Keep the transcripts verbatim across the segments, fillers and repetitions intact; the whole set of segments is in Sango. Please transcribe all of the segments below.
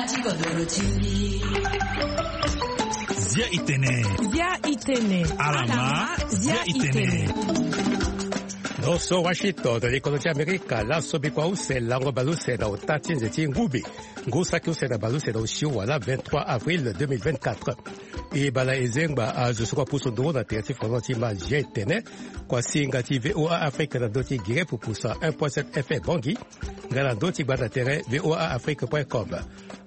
Zia itene. Zia itene. Alama. Zia itene. Noso Washington, na likono ti Amerika, laso bikua use lango baleuse na ota ti nze ti ngumbi. Ngu saki use na baleuse na osio wala vingt-trois avril deux mille vingt-quatre. E bala ezengba azo so kua pusu nduru na tere ti fondement ti ma Zia itene. Kua singa ti V O A Afrique na ndö ti gere pupusa un point sept F M Bangui. Nga na ndö ti gbanda tere V O A Afrique point com.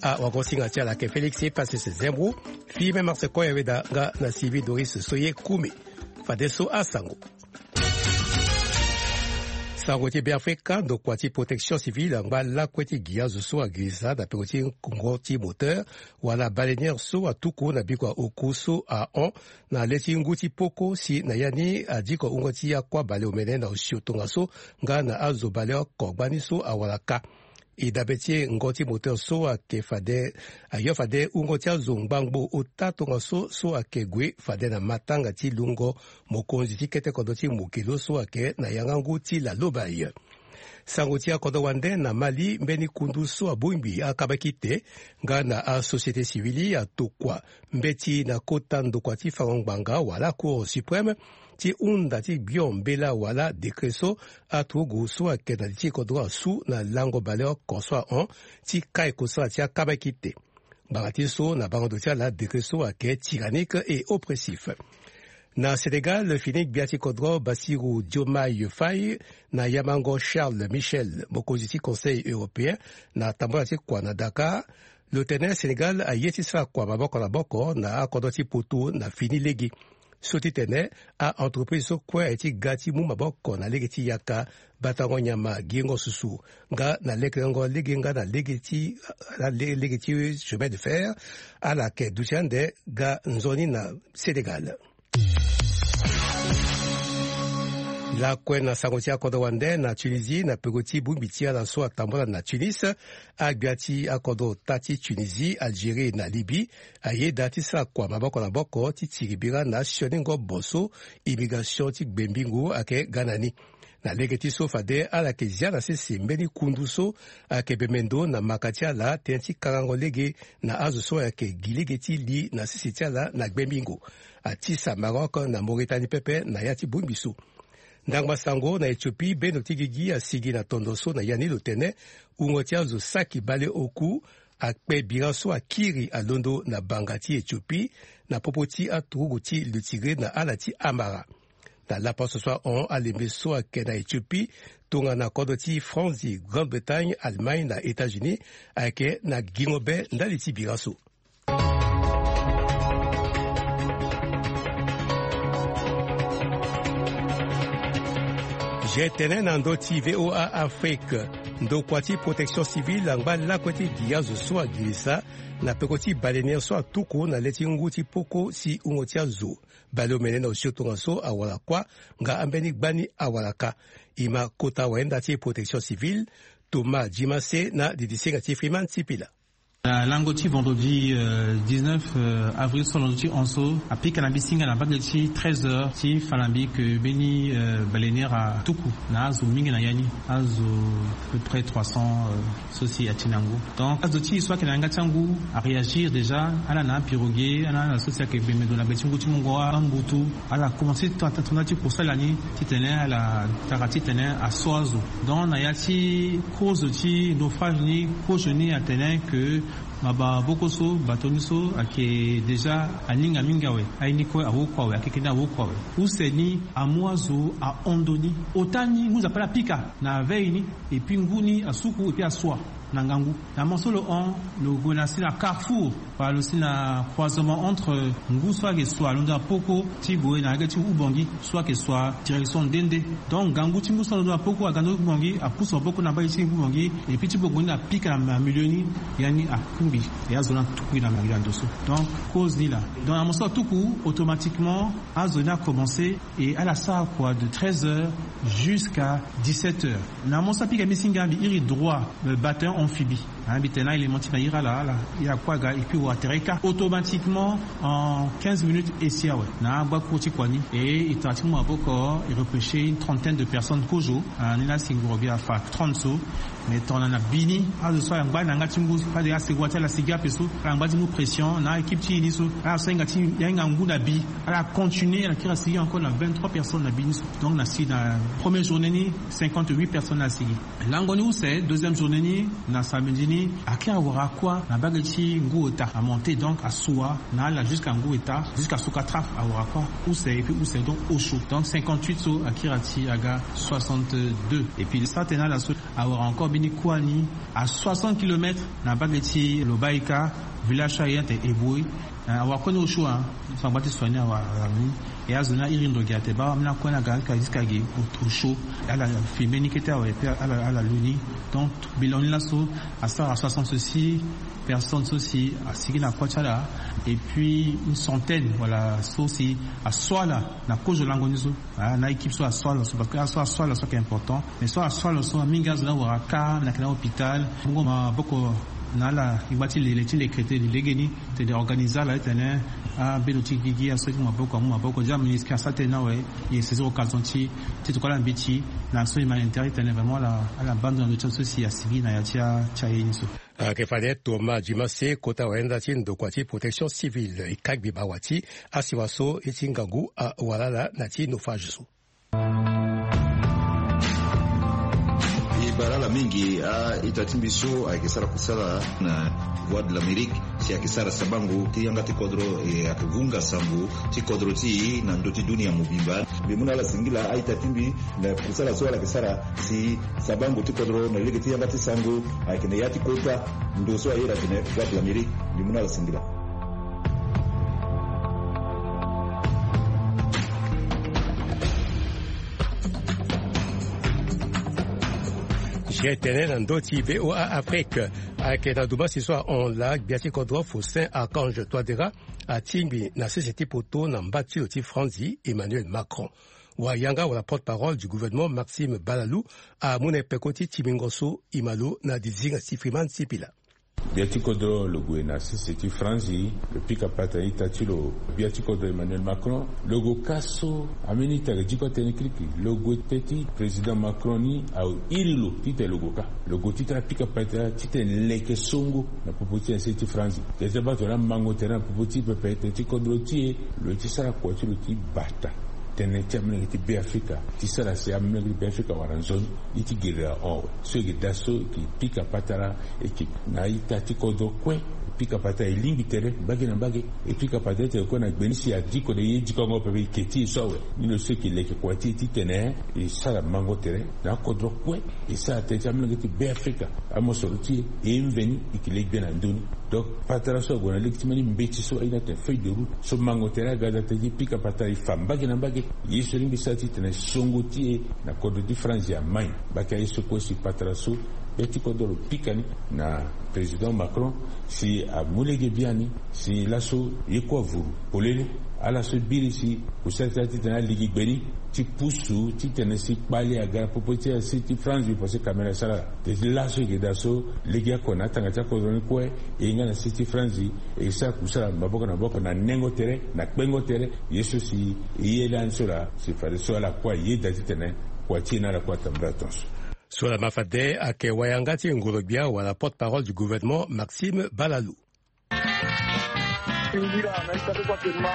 Awagosinga ti ala ayeke Félix Passis Zembro, Firmin Marsecoy Aweda nga na Sylvie Doris Soye Kumi. Fadeso asango. Sango ti Beafrika, ndokua ti protection civile angba lakue ti gi azo so agirisa na peko ti ngo ti moteur wala baleinière so atuku na bikua oku so ahon na le ti ngu ti poko si na ya ni adiko wungo ti akua baleomene na osio tongaso nga na azo baleoko gbani so awara kâ. E dabe ti e ngo ti moteur so ayeke fade, ayo fade wungo ti azo ngbangbo ota tongaso so ayeke gue fade na matanga ti lungo mokonzi ti kete kodro ti Mokelo so ayeke na yanga ngu ti Lalobaye. Sango ti akodro wande na Mali, mbeni kundu so abongbi akabakite nga na asociété civile atokua mbeti na kota ndokua ti fango ngbanga wala Cour suprême ti hunda ti gbio mbela wala décret so aturugu so ayeke na li ti kodro asu na lango baleoko so ahon ti kai kosara ti akabakite. Ngbanga ti so na bango ndo ti ala décret so ayeke tyrannique et oppressif. Na Sénégal, fini gbia ti kodro Bassirou Diomaye Faye na yamango Charles Michel, mokonzi ti Conseil européen, na tambula ti kua na Dakar. Lo tene Sénégal aye ti sara kua maboko na maboko na akodro ti poto na fini lege. So ti tene a-entreprise so kue aye ti ga ti mu maboko na lege ti yaka batango nyama, giringo susu, nga na lekerengo lege nga na lege ti, na le-, lege ti chemin de fer, ala yeke duti ande ga nzoni na Sénégal. Lakue na sango ti akodro wande na Tunisie, na peko ti bongbi ti ala so atambula na Tunis, agbia ti akodro ota ti Tunisie, Algérie na Libye ayeda ti sara kua maboko na maboko ti tiri bira na asioningombo so immigration ti gbengbingo ayeke ga na ni. Na lege ti so fade ala yeke zia na sese mbeni kundu so ayeke bembe ndo na maka ti ala tënë ti kangango lege na azo so ayeke gi lege ti li na sese ti ala na gbengbingo. Atisa Maroc na Mauritanie pepe na ya ti bongbi so. Ndangba sango na Éthiopie, bendo ti gigi asigi na tondo so na ya ni lo tene wungo ti azo saki baleoku akpe bira so akiri alondo na banga ti Éthiopie na popo ti aturugu ti lo Tigré na ala ti Amara. Na lapaso so ahon, alembe so ayeke na Éthiopie tongana kodro ti France, Grande-Bretagne, Allemagne na États-Unis ayeke na gingo be ndali ti bira so. Zia itene na ndö ti V O A Afrique. Ndokua ti protection civile angba lakue ti gi azo so agirisa na peko ti baleinière so atuku na le ti ngu ti poko si wungo ti azo baleomene na osio tongaso awara kuâ, nga ambeni gbani awara kâ. E ma kota wayenda ti protection civile, Thomas Djimase na didisinga ti Freeman Sipila. Na lango ti vendredi, euh, dix-neuf, euh, avril so alondo ti hon so, apika na mbi singa na mbage ti treize heures ti fa na mbi ke mbeni, euh, baleinière atuku na azo mingi na ya ni, azo à peu près trois cents, euh, so si ati na ngu. Donc azo ti e so ayeke na yanga ti angu aréagir déjà, ala na apirogué, ala na so si ayeke bembe ndo na be ti ngu ti mungo angutu, ala commencé ti tanda ti kusala ni titene ala tara titene aso azo. Donc na ya ti cause ti naufrage ni, cause ni atene ke maboko so, bato ni so ayeke déjà aninga mingi awe, aye ni kue awokua awe, akeke ni awokua awe. Use ni amu azo ahon ndo ni. Ota ni ngu nzapa ala pika na veille ni, et puis ngu ni asuku et puis asua na ngangu. Na mo so lo hon, lo gue na si na carrefour, wala lo si na croisement entre ngu so ayeke sua londo na poko ti boye na lege ti Oubangui so ayeke sua direction nde nde. Donc ngangu ti ngu so alondo na poko aga ndo Oubangui, apusu maboko na mbage ti Oubangui, et puis ti bongo ni apika na milieu ni, ya ni akungbi, e azo ni atukui na milieu na ndo so. Donc cause ni laa. Donc na mo so atuku, automatiquement azo ni acommence et ala sara kua de treize heures jusqu'à dix-sept heures. Na mo so apika mbi singa, mbi iri droit, euh, bataillon amphibie. Ambi tene na élément ti na ira ala ala, ya kua ga et puis wa tere ka automatiquement en quinze minutes. Esi awe na agba cour ti kua ni, et e tara ti mu maboko, e repêcher une trentaine de personnes kozo. Ni la si ngoro bi afa trente so. Mais tongana na bi ni azo so ala ngba na yanga ti ngu, fade asegua ti ala sigi ape so, ala ngba ti mu pression na équipe ti e ni so, ala so ahinga ti ahinga ngu na bi. Ala continuer, ala kiri asigi encore na vingt-trois personnes na bi ni so. Donc na si na première journée ni, cinquante-huit personnes ala sigi. Lango ni use, deuxième journée ni, na samedi ni, akiri awara kua na bage ti ngu ota amonte, donc asua na ala jusqu'à ngu ota, jusqu'à sukatra awara kua. Use et puis use donc osio, donc cinquante-huit so akiri ati aga soixante-deux. Et puis sa tene na ala so awara encore mbeni kua ni à soixante kilomètres na bage ti Lobaïka, village so aye ate Eboe. Awara kue ni osio, so angba ti soigner awara ni. E azo ni ahiri ndo gi ate baa, ambeni akue ni aga jusqu'à gi osio. Ala filmer ni kete awe et puis ala lu ni. Donc bilan ni laso asara soixante-six personnes so si asigi na kua ti ala, et puis une centaine wala so si aso ala na kozo lango ni so. Na équipe so aso ala so, parce que aso aso ala so ayeke important. Mais so aso ala so mingi azo ni awara ka na yeke na hôpital. Bongo maboko na ala, e ngba ti lele ti leke tene legeni, tene organiser ala titene abendo ti gigi aso ti mu maboko, amu maboko. Déjà ministre asara tënë ni awe, e saisir occasion ti ti tokua ala mbeti na so humanitaire titene vraiment ala ala baa ndo na ndo ti azo so si asigi na ya ti aye ni so. Ayeke fade Thomas Dumassé, kota wayenda ti ndokua ti protection civile, e ka gbi bawati asiwa so e ti ngangu awara ala na ti naufrage so. E bara ala mingi. A-ita ti mbi so ayeke sara kusala na Voix de l'Amérique si ayeke sara sabango ti yanga ti kodro, e ayeke vunga sango ti kodro ti e na ndö ti dunia mobimba. Mbi mu na ala singila a-ita ti mbi na kusala so ala yeke sara si sabango ti kodro na lege ti yanga ti sango ayeke na ya ti kota ndo so ayeda atene Voix de l'Amérique. Mbi mu na ala singila. Ge tene na ndö ti VOA Afrique. Ayeke na dumasi so ahon laa gbia ti kodro Faustin Archange Touadéra atingbi na sese ti poto na mba ti lo ti Franzi Emmanuel Macron. Wayanga wala porte-parole du gouvernement Maxime Balalou amu na e peko ti timbingo so e ma lo na dizinga ti Freeman Sipila. Gbia ti kodro lo gue na sese ti Franzi, lo pika patara ita ti lo. Gbia ti kodro Emmanuel Macron, lo gue ka so ambeni ita ayeke diko atene kirikiri. Lo gue teti président Macron ni airi lo titene lo gue ka. Lo gue titene apika patara titene leke songo na popo ti e na sese ti Franzi. Teti abato na mango tere na popo ti pepe teti kodro ti e. Lo ye ti sara kua ti lo ti bata tënë ti amolenge ti Beafrika ti sara si amolenge ti Beafrika wara nzoni. Ye ti gere ahon awe so e yeke daa so e yeke pika patara, e yeke na a-ita ti kodro kue. E pika patara e lingbi tere mbage na mbage. E pika patara ti tene kue na gbe ni si adiko na ye dikongo pepe e ke ti e so awe. Ni lo so e yeke leke kua ti e titene e sara mango tere na akodro kue. E sara tënë ti amolenge ti Beafrika. Amosoro ti e e mveni e yeke le gbia na ndö ni. Donc patara so ague na lege ti mbeni mbeti so aye ni atene feuille de route so mango tere aga daa tënë ti pika patara e fa mbage na mbage. Ye so lingbi sara titene songo ti e na kodro ti Franzi amai. Mbage aye so kue si patara so gbia ti kodro lo pika ni na président Macron si amu lege biani si laso ye kue avuru polele. Ala so biri si kusala ti ala titene aligi gbe ni ti pusu titene si kpale aga na popo ti ala si ti Franzi parce que caméra asara ala. Te ti laso e yeke daa so lege oko na atanga ti akodro ni kue e ye nga na si ti Franzi e sara kusala maboko na maboko na nengo tere na kpengo tere. Ye so si e ye lani so laa si fadeso ala kue ayeda titene kua ti e na ala kue atambula tonso. So laa ma fade ayeke wayanga ti ngoro-gbia wala porte-parole du gouvernement Maxime Balalou. Singila na ita ti kua tene ma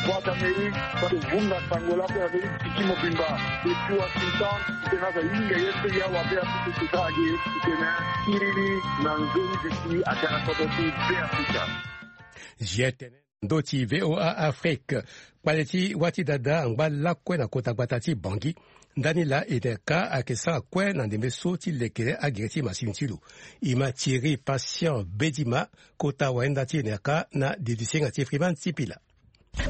Voix d'Amérique, kua ti vunga sango lakue na ndö ti ti mobimba. Depuis Washington titene azo ahinga ye so ya wa Beafrika ti sara ge titene kiriri na nzoni ti si aga na kodro ti Beafrika. Ge tene ndö ti VOA Afrique. Kpale ti wâ ti dada angba lakue na kota gbata ti Bangui. Ndani laa e tene ka ayeke sara kue na ndembe so ti leke agere ti masini ti lo. E ma Thierry Patient Bedima, kota wayenda ti e na yaka na dede ti senga ti Freeman Sipila.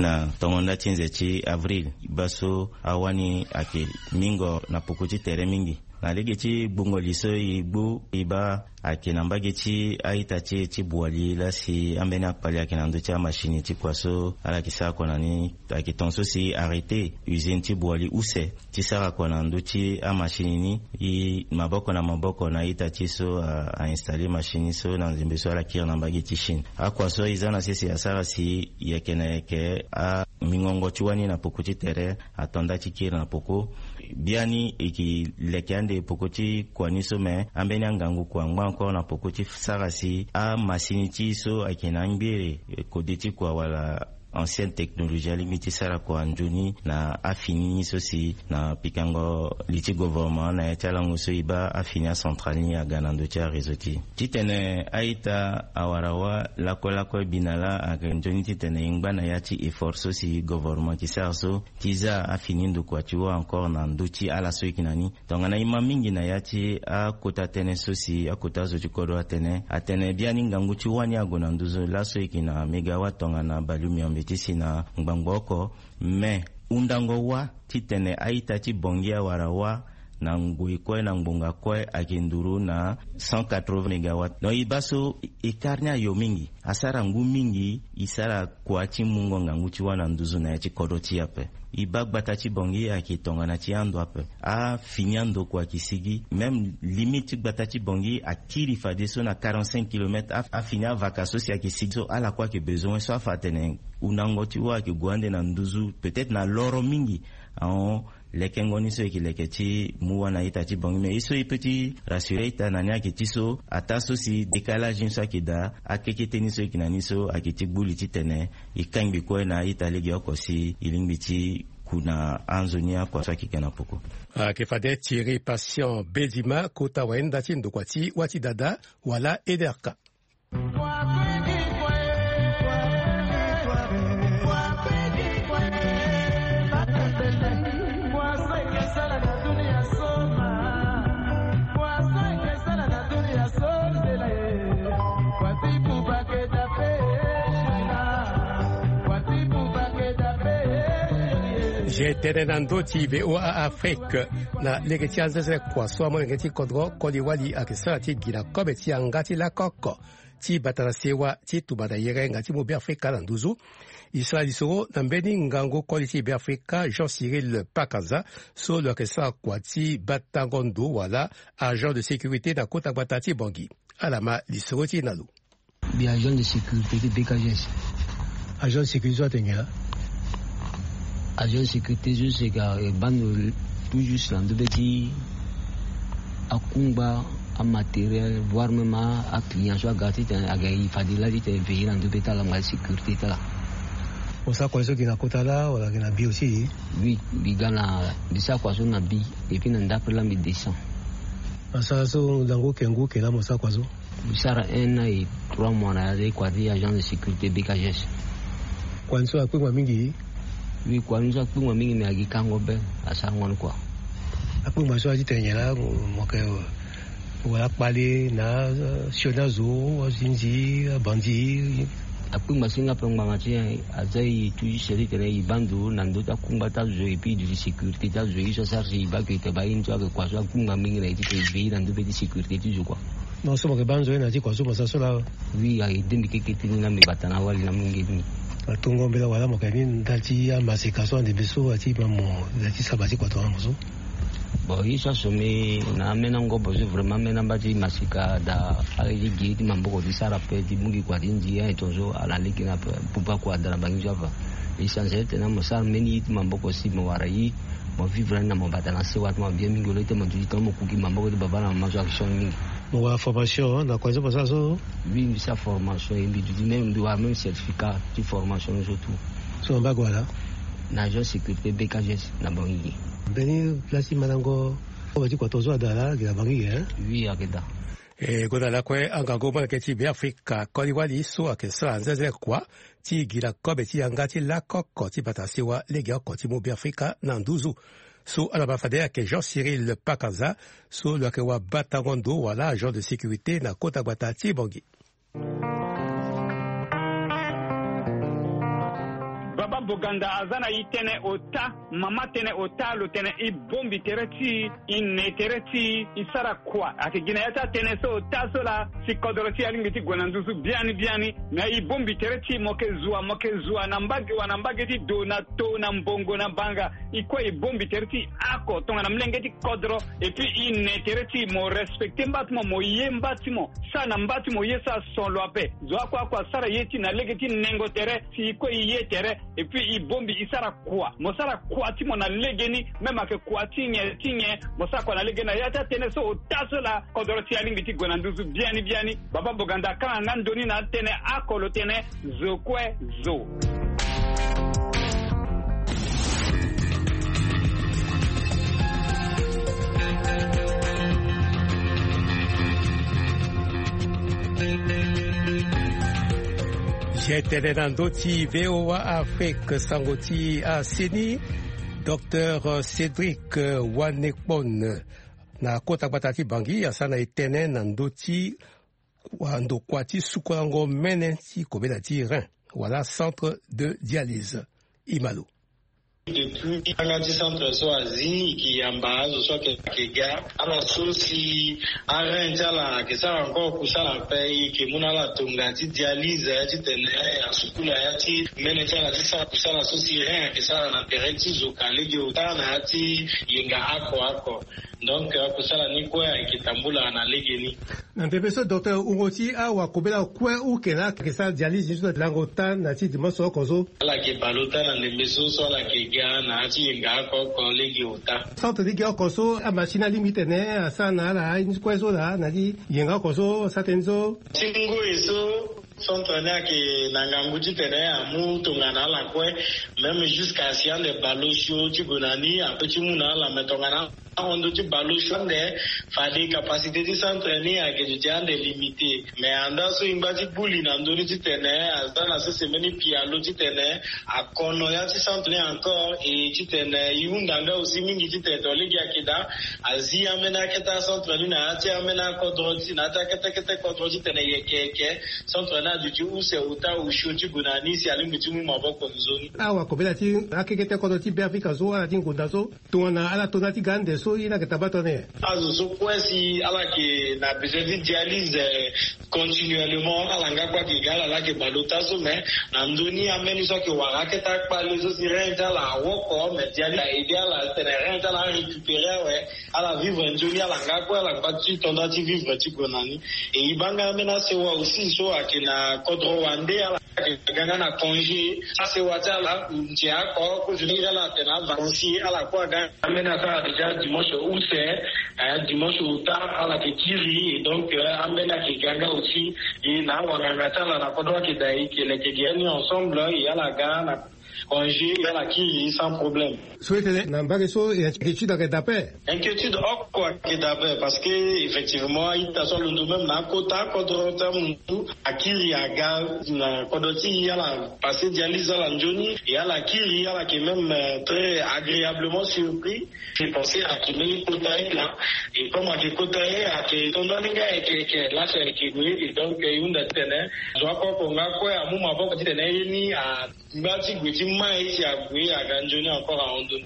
Na tongo nda ti nze ti avril baa so awani ayeke mingo na puku ti tere mingi. Na lege ti gbungo li so e gbu e baa, ayeke na mbage ti a-ita ti e ti Boali laa si ambeni akpali ayeke na ndö ti amasini ti kua so ala yeke sara kua na ni. Ayeke ton so si arrêté usine ti Boali use ti sara kua na ndö ti amasini ni. E maboko na maboko na a-ita ti e so a, a installer masini so na nzembe so ala kiri na mbage ti Chine. Akua so e za na sese asara si yeke na yeke amingongo ti wani na poko ti tere ato nda ti kiri na poko. Biani e ke leke ande poko ti kua ni so, me ambeni angangu kua angba encore na poko ti sara si amasini ti e so ayeke na angbere, eh, kode ti kua wala ancienne technologie alingbi ti sara kua nzoni na afini ni so si na pikango li ti gouvernement na ya ti alango so e baa afini acentrale ni aga na ndö ti aréseau ti e. Titene a-ita awara wâ lakue lakue bi na laa ayeke nzoni titene e ngba na ya ti effort so si gouvernement ayeke sara so ti za afini ndokua ti wâ encore na ndö ti ala so e yeke na ni. Tongana e ma mingi na ya ti akota tënë so si akota zo ti kodro atene, atene biani ngangu ti wani ague na nduzu laso e yeke na mégawatt tongana baleomiombe ti si na ngbangbo oko. Me hundango wâ titene a-ita ti Bangui awara wâ na ngoi kue na ngbonga kue ayeke nduru na cent quatre-vingts mégawatt. Donc e baa so écart ni ayo mingi, asara ngu mingi e sara kua ti mungo ngangu ti wâ na nduzu na ya ti kodro ti e ape. E baa gbata ti Bangui ayeke tongana ti ando ape. Afini andokua ayeke sigi. Même limite ti gbata ti Bangui akiri fadeso na quarante-cinq kilomètres. Af-, afini avaka so si ayeke sigi so ala kue ayeke besoin so afa atene hundango ti wâ ayeke gue ande na nduzu, peut-être na loro mingi. Ahon, lekengo ni so e yeke leke ti mu wâ na ita ti Bangui. Mais ye so e peut ti rassurer ita na ni ayeke ti so, ataa so si décalage ni so ayeke daa, akekete ni so e yeke na ni so ayeke ti gbu li titene e kangbi kue na ita legeoko si e lingbi ti ku na anzoni akua so ayeke ga na poko. Ayeke fade Thierry Patient Bedima, kota wayenda ti ndokua ti wâ ti dada wala E D R K. Ge tene na ndö ti V O A Afrique na lege ti anzeze kua so amolenge ti kodro koli wali ayeke sara ti gi na kobe ti yanga ti lakoko ti bata na sewa ti tumba na yere nga ti mu Beafrika na nduzu. E sara lisoro na mbeni ngangu koli ti Beafrika Jean Cyril Pakanza so lo yeke sara kua ti batango ndo wala agent de sécurité na kota gbata ti Bangui. Ala ma lisoro ti e na lo. Mbi agent de sécurité ti B K G S. Agent de sécurité so atene nyen laa? Agent de sécurité so si ayeke baa ndo tout juste na ndö be ti akungba, amatériel, voire même a, aclient so aga titene aga e fade laa titene veiller na ndö be ti ala nga sécurité ti ala. Mo sara kua so gi na kota laa wala gi na bi aussi? Oui, mbi ga na, mbi sara kua so na bi, et puis na ndapre laa mbi descend. Asara so ndango kengo ke laa mo sara kua so? Mbi sara un an et trois mois na ya ti kua ti agent de sécurité B K G S. Kua ni so akpengba mingi? Oui, kua ni so akpengba mingi, me agi kango be, asarango ni kua. Akpengba so aye ti tene nyen laa, mo yeke wala kpale na, eh, sioni azo, azinzi, abandi? Akpengba si nga ape ngbanga ti e, aza e tout juste ti tene e baa ndo na ndö ti akungba ti azo, et puis duti sécurité ti azo, ye so asara si e baa ke e tene baa ye ni so ayeke kua so akpengba mingi na e ti tene e veiller na ndö be ti sécurité ti zo kua. Non, so mo yeke baa nzoni na ya ti kua so mo sara so laa? Oui, ayeke de mbi keke ti ni laa, mbi bata na awali na amolenge ti mbi. Atongo mbela wala mo yeke ni ndali ti amaseka so ande mbi so aye ti ma mo ndali ti saba ti kua tongana mo so? Bon, ye so aso mbi na ameni angobo so vraiment ameni amba ti maseka daa, ala ye ti gi ye ti maboko ti sara ape ti mu gi kua ti ndi aye tongaso ala lege ni ape. Pupa kua daa na bangi so afa. L'essentiel ti tene mo sara mbeni ye ti maboko si mo wara ye, mo vivre ni na mo bata na sewa ti mo bien mingi. Au lieu ti mo duti tongana mo ku gi maboko ti baba na mama so ayeke sioni mingi. Mo wara formation na kua so mo sara so? Oui, mbi sara formation, e mbi duti même, mbi wara même certificat ti formation ni so tout. So na mbage wala? Na agent sécurité B K G S na Bangui. Mbeni place ti mandango kobe ti kua tongaso ada laa gi na Bangui, hein? Oui, ayeke daa. E gonda lakue angangu molenge ti Beafrika koli wali so ayeke sara nzenze kua ti gi na kobe ti yanga ti lakoko ti bata sewa legeoko ti mu Beafrika na nduzu. So ala ma fade ayeke Jean Cyril Pakanza so lo yeke wabatango ndo wala agent de sécurité na kota gbata ti Bangui. Baba Boganda aza na e tënë ota, mama tënë ota, lo tene e bongbi tere ti e, e ne tere ti e, e sara kua. Ayeke gi na ya ti atënë so ota so laa, si kodro ti e alingbi ti gue na nduzu biani biani. Me e bongbi tere ti e, mo yeke zua, mo yeke zua na mbage wa, na mbage ti do, na to, na mbongo, na banga. E kue e bongbi tere ti e oko tongana molenge ti kodro. Et puis e ne tere ti e, mo respecter mba ti mo, mo ye mba ti mo, sara na mba ti mo ye so ason lo ape. Zo oko oko asara ye ti e na lege ti nengo tere, si e kue e ye tere. Et puis e bongbi e sara kua, mo sara kua ti mo na legeni. Même ayeke kua ti nyen ti nyen, mo sara kua na legeni. Na ya ti atënë so ota so laa, kodro ti e alingbi ti gue na nduzu biani biani. Baba Boganda akanga nga ndoni na atënë oko, lo tene zo kue zo. Zia tënë na ndö ti V O A Afrique, sango ti aseni, Docteur Cédric Wanekpon, na kota gbata ti Bangui, asara na e tënë na ndö ti wa ndokua ti sukolango mene ti kobela ti rein, wala centre de dialyse. E ma lo. Depuis anga ti centre so azi, e ke yamba azo so ayeke ga. Ala so si arein ti ala ayeke sara encore kusala ape, e ke mu na ala tonga ti dialyse, ya titene asukula ya ti mene ti ala ti sara kusala so si rein ayeke sara na tere ti zo ka lege ota na ya ti yenga oko oko. Donc akusala ni kue ayeke tambula na legeni. Na ndembe so, docteur, wungo ti awakobela kue uke na ayeke sara dialyse ni so na lango ota na ya ti dimanche oko so? Ala yeke bale ota na ndembe so, so ala yeke ga na ya ti yenga oko oko lege ota. Centre lege oko so, amachine alingbi titene asara na ala aye ni kue so laa, na ya ti yenga oko so asara tënë so? Ti ngoi so, centre ni ayeke na ngangu titene amu tongana ala kue. Même jusqu'à si ande bale osio ti gue na ni, ape ti mu na ala, me tongana ahon ndö ti bale osio ande, fade capacité ti centre ni ayeke duti ande limité. Mais andaa so e ngba ti gbu li na ndö ni titene aza na sese mbeni pialo titene akono ya ti centre ni encore, e titene e hunda nga aussi mingi titene to lege ayeke daa, azi ambeni akete acentre ni na ya ti ambeni akodro ti, na ya ti akete kete kodro titene e yeke yeke centre ni aduti use ota osio ti gue na ni si alingbi ti mu maboko nzoni. Awakobela ti akekete kodro ti Beafrika so, ala ti ngonda so, tongana ala to na ya ti ga ande so, ye ni ayeke tabata na nyen? Azo so kue si ala yeke na besoin ti dialyse, eh, continuellement, ala nga kue ayeke ga, ala laa ayeke bale ota so, mais na ndö ni ambeni so ayeke wara akete akpale so si rein ti ala awoko, mais dialyse a aidé ala titene rein ti ala arécupérer awe. Ala vivre nzoni, ala nga kue, ala ngba ti to nda ti vivre ti gue na ni. E e baa nga ambeni asewa aussi so ayeke na kodro wande, ala yeke ga nga na congé. Asewa ti ala nze oko, kozoni ala tene avacances, ala kue aga. Ambeni asara déjà dimanche use, eh, dimanche ota ala yeke kiri, et donc, euh, ambeni ayeke ga nga aussi. E na awanganga ti ala na kodro ayeke daa, e yeke leke ge ni ensemble, e ala ga na congé, ala kiri sans problème. So e tene na mbage so, e, inquiétude ayeke daa ape? Inquiétude oko ayeke daa ape, parce que effectivement a-ita so alondo même na akota akodro ti amuntu, akiri aga na kodro ti e, ala passé dialyse ala nzoni, et ala kiri, ala yeke même, euh, très agréablement surpris. Ayeke pensé ayeke mbeni kota ye laa, et comme ayeke kota ye, ayeke to ndani nga ayeke, ayeke lâche ayeke gue, et donc, euh, e hunda titene zo oko oko nga kue amu maboko titene ye ni a ngba ti gue ti mai si ague aga nzoni encore ahon ndoni.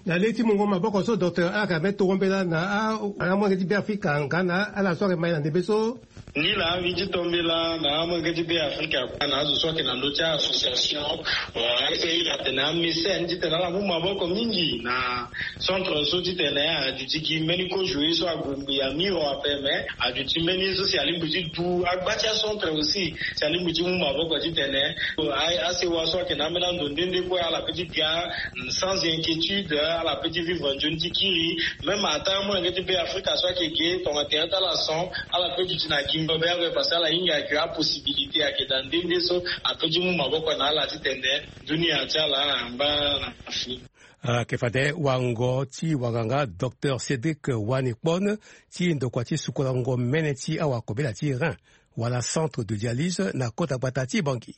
Na lege ti mungo maboko so, docteur, ala yeke ambeni tongo mbela na a, amolenge ti Beafrika nga na ala so ayeke mai na ndembe so? Ni laa mbi ti to mbela na amolenge ti Beafrika kue, na azo so ayeke na ndö ti association, euh, essayer atene amécène titene ala mu maboko mingi na centre so titene aduti gi mbeni kozo ye so ague ngbii amiro ape, mais aduti mbeni ye so si alingbi ti du agba ti acentre aussi, si alingbi ti mu maboko titene a, asewa so ayeke na ambeni ando nde nde kue ala peut ti ga sans inquiétude, ala peut ti vivre nzoni ti kiri. Même ata amolenge ti Beafrika so ayeke ge tongana tere ti ala son, ala peut duti na gingo be ape, parce que ala hinga ayeke apossibilité ayeke daa nde nde so a peut ti mu maboko na ala titene dunia ti ala angba na fini. Ayeke fade wango ti wanganga docteur Cédric Wanekpon ti ndokua ti sukolango mene ti awakobela ti rein, wala centre de dialyse, na kota gbata ti Bangui.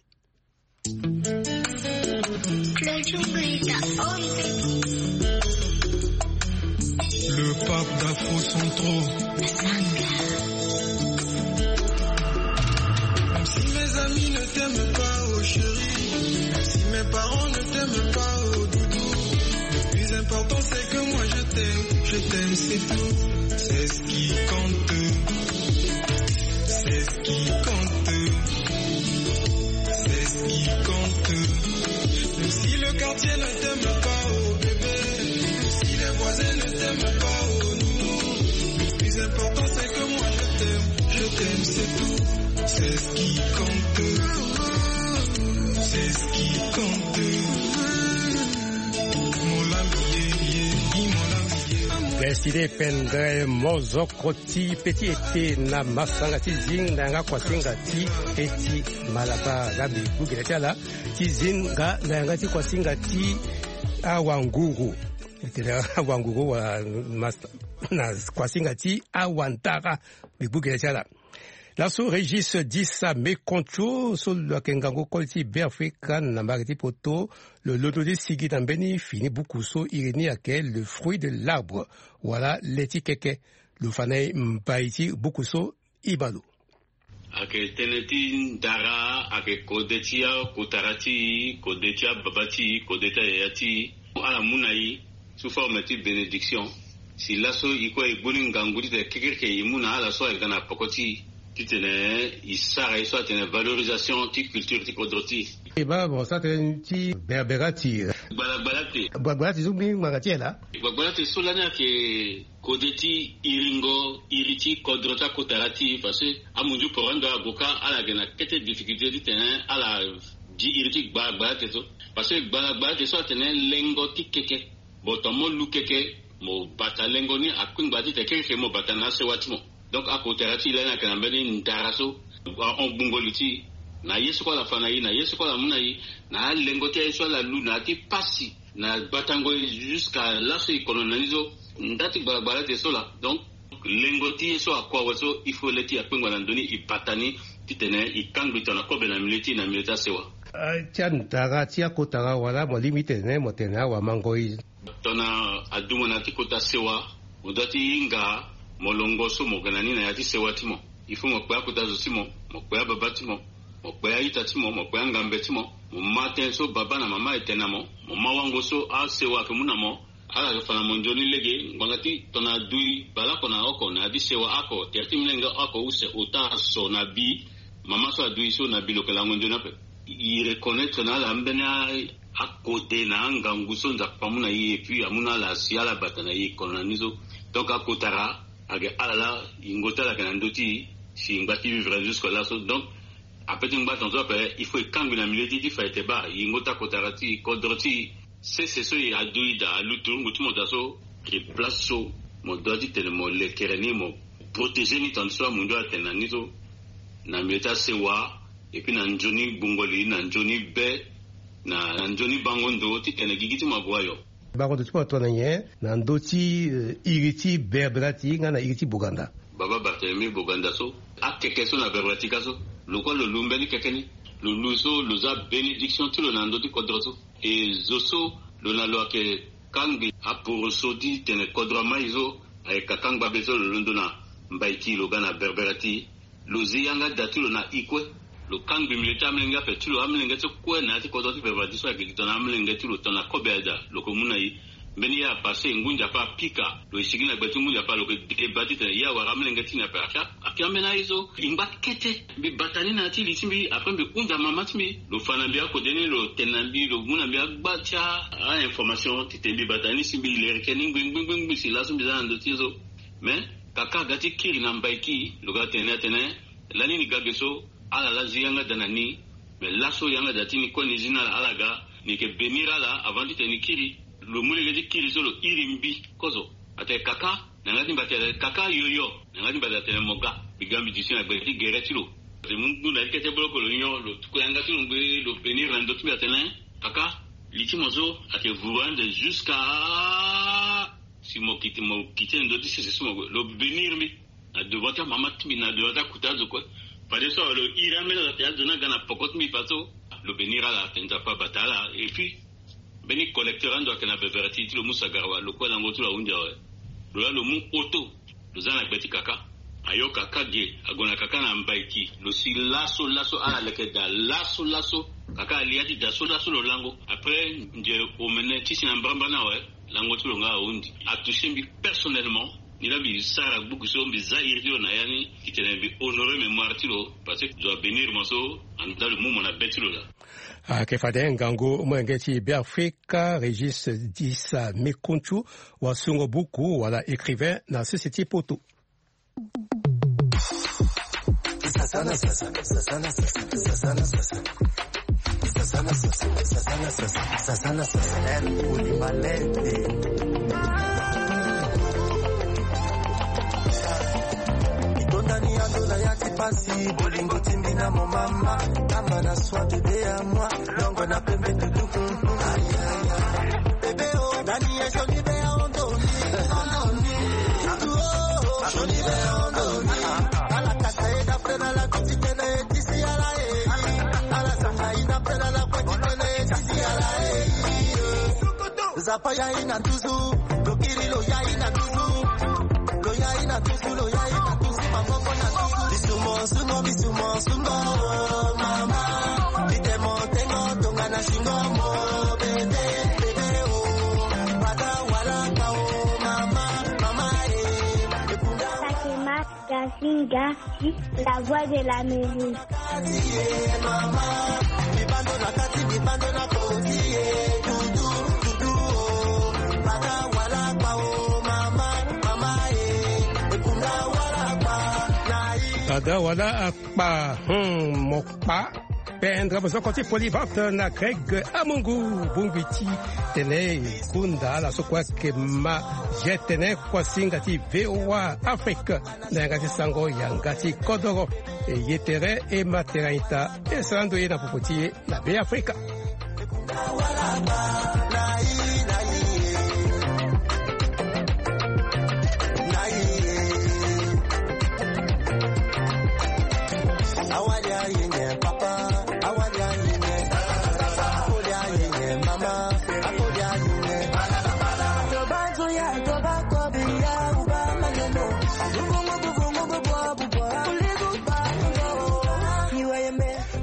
Le pape d'Afro Centro. Si mes amis Ne t'aime pas, oh chérie. Si mes parents ne t'aiment pas, oh doudou. Le plus important, c'est que moi, je t'aime. Je t'aime, c'est tout. C'est ce qui compte. C'est ce qui compte. C'est ce qui compte. Si le quartier ne t'aime pas, oh bébé. Si les voisins ne t'aiment pas, oh nounou. Le plus important, c'est que moi, je t'aime. Je t'aime, c'est tout. C'est ce qui compte. C'est ce qui compte. Mon lami, ye, ye, ni mon lami, ye. Deside pendre mozoko ti pe ti ete na masanga ti zinga na yanga kuasinga ti eti malaba ga be gugela ti ala ti zinga na yanga ti kuasinga ti awanguru. Ete na awanguru wala mas- na kuasinga ti awantara be gugela ti ala. Laso Régis Dissa Mekontio so lo yeke ngangu koli ti Beafrika na mbage ti poto, lo londo ti sigi na mbeni fini buku so iri ni ayeke le fruit de l'arbre, wala le ti keke. Lo fa na e mbai ti buku so. Iba lo. Ayeke tënë ti ndara, ayeke kode ti akotara ti e, kode ti ababa ti e, kode ti ayaya ti e. Ala mu na e sous forme ti bénédiction. Si laso e kue e gbu ni ngangu titene kekereke e mu na ala so ayeke ga na poko ti e, titene e sara ye so atene valorisation ti culture ti kodro ti e. E baa mo sara tënë ti berberati. Gbalagbala te. Gbalagbala te so mbeni ngbanga ti e laa. Gbalagbala te so lani ayeke kode ti iringo iri ti kodro ti akotara ti e, parce que amunzu poro ando ague kâ ala yeke na kete difficulté titene ala di iri ti gbalagbala te so. Parce que gbalagbala te so atene lengo ti keke. Bon, tongana mo lu keke, mo bata lengo ni akpengba titene keke mo bata na asewa ti mo. Donc akotara ti e lani ayeke na mbeni ndara so ahon gbungo li ti e na ye so kue ala fa na e, na ye so kue ala mu na e, na alengo ti aye so ala lu na ya ti pasi, na gbatango e jusqu'à laso e kono na ni so. Nda ti gbalagbala te so laa. Donc lengo ti ye so akua awe so, il faut le ti e akpengba na ndö ni, e bata ni titene e kangbi tongana kobe na milieu ti e, na milieu ti asewa. Ah, ti andara ti akotara wala mo lingbi tene mo tene awamango e. Tongana adumo na ya ti kota sewa, mo doit ti hinga molongo so mo yeke na ni na ya ti sewa ti mo. Il faut mo kpe akota zo ti mo, mo kpe ababa ti mo, mo kpe a-ita ti mo, mo kpe angambe ti mo. Mo ma tënë so baba na mama ayeke tene na mo, mo ma wango so asewa ayeke mu na mo. Ala yeke fa na mo nzoni lege ngbanga ti tongana adui baleoko na oko na ya ti sewa oko, tere ti molenge oko use ota so na bi, mama so adui so na bi lo yeke lango nzoni ape. E reconnaître na ala ambeni a- akode na angangu so Nzapa amu na e, et puis amu na ala si ala bata na e kono na ni so. Donc akotara ayeke ala laa, yingo ti ala ayeke na ndö ti e, si e ngba ti vivre jusque laso. Donc ape ti ngba tongaso ape, il faut e kangbi na milieu ti e ti fa ete baa yingo ti akotara ti e, kodro ti e. Sese so e adu e daa, aluturungu ti mo daa so, e place so mo doit titene mo lekere ni, mo protéger ni tongaso amundu atene na ni so, na milieu ti asewa, et puis na nzoni gbungo li, na nzoni be, na, na nzoni bango ndo titene gigi ti mo ague ayo. Bango ndo ti mo atongana nyen na ndö ti, eh, iri ti Berberati nga na iri ti Boganda? Baba Barthélemy Boganda so, akeke so na Berberati ka so, lo kue lo lu mbeni keke ni. Lo lu so lo za bénédiction ti lo na ndö ti kodro so. E zo so lo na lo ayeke kangbi aporoso ti tene kodro amai so, ayeke kangba be so lo londo na Mbaiki, lo ga na Berberati. Lo zi yanga da ti lo na e kue. Lo kangbi milieu ti amolenge ape ti lo, amolenge so kue na ya ti kodro ti Berberati so ayeke gi tongana amolenge ti lo, tongana kobe ada lo yeke mu na e. Mbeni ye apasse, ngu Nzapa apika, lo e sigi na gbe ti ngu Nzapa, lo yeke deba titene e awara amolenge ti ni ape. Akia, akia ambeni aye so e ngba kete. Mbi bata ni na ya ti li ti mbi, après mbi hunda mama ti mbi, lo fa na mbi akode ni, lo tene na mbi, lo mu na mbi agba ti a-information titene mbi bata ni, si mbi lereke ni ngbi ngbi ngbi ngbi si laso mbi za na ndö ti ye so. Mais kaka aga ti kiri na Mbaiki, lo ga tene ni atene, lani ni ga ge so, ala laa zi yanga da na ni. Mais laso yanga da ti ni kue ni zi na ala, ala ga, ni yeke bénir ala avant titene ni kiri. Lo mu lege ti kiri so lo iri mbi kozo. Atene kaka, na yanga ti mbi atene kaka yoyo. Na yanga ti mbi atene mo ga. Mbi ga mbi duti na gbe ti gere ti lo. Atene mu ngu na ti kete boloko lo nyon, lo tuku yanga ti lo ngbe, lo bénir na ndö ti mbi atene kaka, li ti mo so ayeke vuru ande jusqu'à si mo kiti, mo kiti na ndö ti sese so mo gue, lo bénir mbi. Na devant ti amama ti mbi, na devant ti akuta azo kue. Fadeso lo iri ambeni azo atene azo ni aga na poko ti mbi faso. Lo bénir ala, atene Nzapa abata ala. Et puis mbeni collecteur ando ayeke na Berberati ti lo mu sagara wa, lo kue lango ti lo ahunzi awe. Lo laa lo mu auto, lo za na gbe ti kaka. Ayo kaka ge, ague na kaka na mbaiki, lo si laso laso, ala leke da laso laso, kaka alia ti da so laso lo lango. Après, nze omene ti si na mbrambra ni awe, lango ti lo nga ahunzi. Atoucher mbi personnellement. Ni la mbi sara gbuku so mbi za iri ti lo na ya ni, titene mbi honorer mémoire ti lo, parce que zo abénir mo so, anda lo mu mo na be ti lo laa. Ayeke fade ngangu molenge ti Beafrika, Régis Disa Mekunthu, wasungo buku wala écrivain na sese ti poto. Sasana sasa, sasana sasa, sasana sasa. Sasana sasa, sasana sasa, sasana sasa. Eh, Olimalende. Itondani ya ndola ya ti pasi, bolingo timbi na mo mama. Kamba na soi de de à moi, longo na pembe tutu. Aïe, aïe, aïe. Bébé, oh, Dani, eh, joli bébé, oh, Dani. Oh, joli bébé, oh, Dani. Ala kasa ye da frena la kotitene. Zapa ya ina tuzu, lo kiri lo ya ina tuzu, lo ya ina tuzu, lo ya ina tuzu, maboko na tuzu. Bisumo sungo, bisumo sungo, oh, mama. Bitemo tengo, tonga na shingo mo, bebe, bebe, oh. Bata wala ka, oh, mama, mama, eh. Gafinga, la voix de l'Amérique. Ada wala akpa, hmm, mo kpa. Pendre mozoko ti Polyvalente na Greg Amungu, bongbi ti tene kunda ala so kue ayeke ma ye tene kuasinga ti V O A Afrique. Na yanga ti sango yanga ti kodoro, e ye tere e ma tere aita, e sara ndo ye na popo ti e na Beafrika.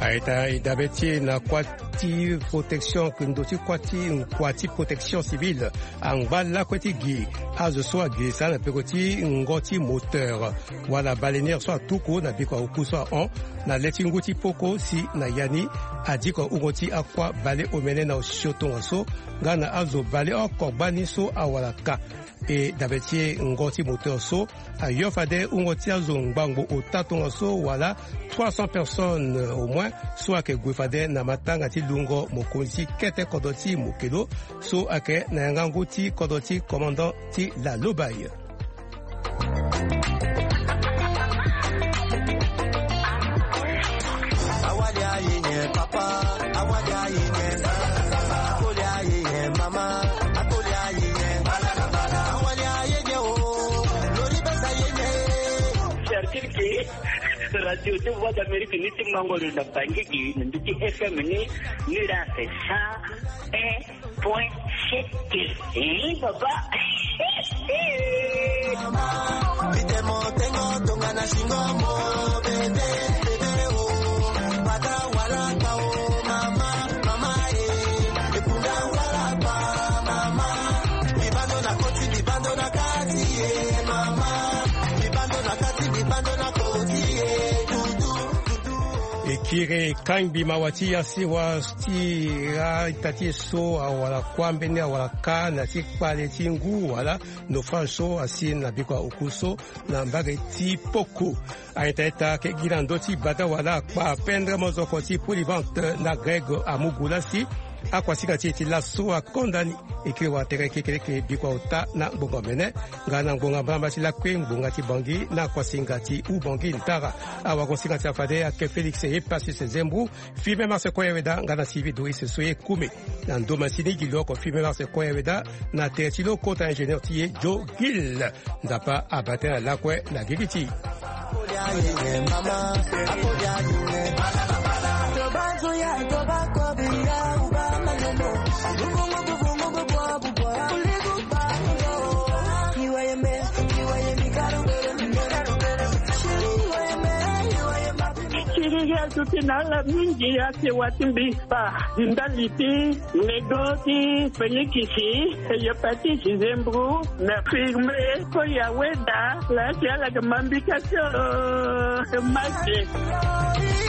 Aita e dabe ti e na kuâ ti protection, ndo ti kuâ ti, kua ti protection civile angba lakue ti gi azo so agirisa na peko ti ngo ti moteur wala baleinière so atuku na biko auku so ahon na le ti ngu ti poko si na ya ni adiko wungo ti akua baleomene na osio tongaso nga na azo baleoko gbani so awara ka. E dabe ti e ngo ti moteur so ayo fade wungo ti azo ngbangbo ota tongaso wala trois cents personnes au moins so ayeke gue fade na matanga ti lungo mokonzi ti kete kodro ti Mokelo so ayeke na yanga ngu ti kodro ti commandant ti la Lobaye. Cercle ke radio ti Voix d'Amérique ni ti mango lo na Bangui gi na ndu ti F M ni, ni la c'est cent un point sept. Eh, papa. E kiri kangbi mawa ti ya sewa ti ra ita ti e so awara kuâ mbeni awara ka na ti kpale ti ngu wala naufrage so asi na biko auku so na mbage ti poko. Aita ita ayeke gi na ndö ti bata wala akpa pendre mozoko ti Polyvalente na Greg Amugu lasi. Akuasinga ti e ti laso akonda ni. E kiri wala tere kekereke biko ota na ngbonga mene nga na ngbonga mbalambala ti lakue ngbonga ti Bangui na akuasinga ti Ubangui Ntara. Awagosinga ti afade ayeke Félix Epasis Zembou, Firmin Marse Koyaweda nga na Sylvie Doris Soye Koume. Na ndo masini gi lo oko Firmin Marse Koyaweda na tere ti lo kota ingénieur ti e Joe Gill. Nzapa abaa tënë na lakue na gigi ti. Ye azo ti na ala mingi ake wa ti mbi kpa. Di ndali ti lego ti Félix, hépatite zembro na firme ko ya weda. La ti ala ke mambika ti o make.